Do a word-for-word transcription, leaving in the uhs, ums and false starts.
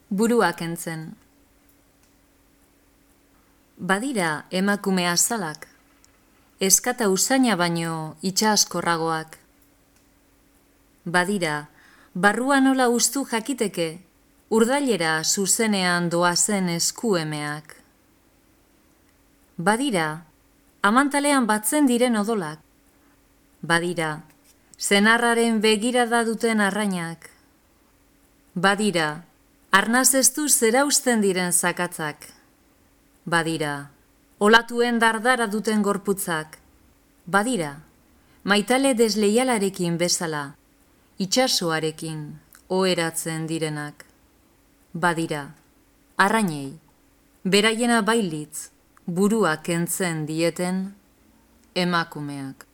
Burua kentzen. Badira emakume azalak, eskata usaina baino itxaskorragoak. Badira, barruan nola ustu jakiteke, urdailera zuzenean doazen eskuemeak. Badira, amantalean batzen diren odolak. Badira, senarraren begirada duten arrainak. Badira, arnaz eztu zerausten diren zakatzak. Badira, olatuen dardara duten gorputzak. Badira, maitale desleialarekin bezala, itsasoarekin oheratzen direnak. Badira, arrainei, beraiena bailitz, burua kentzen dieten emakumeak.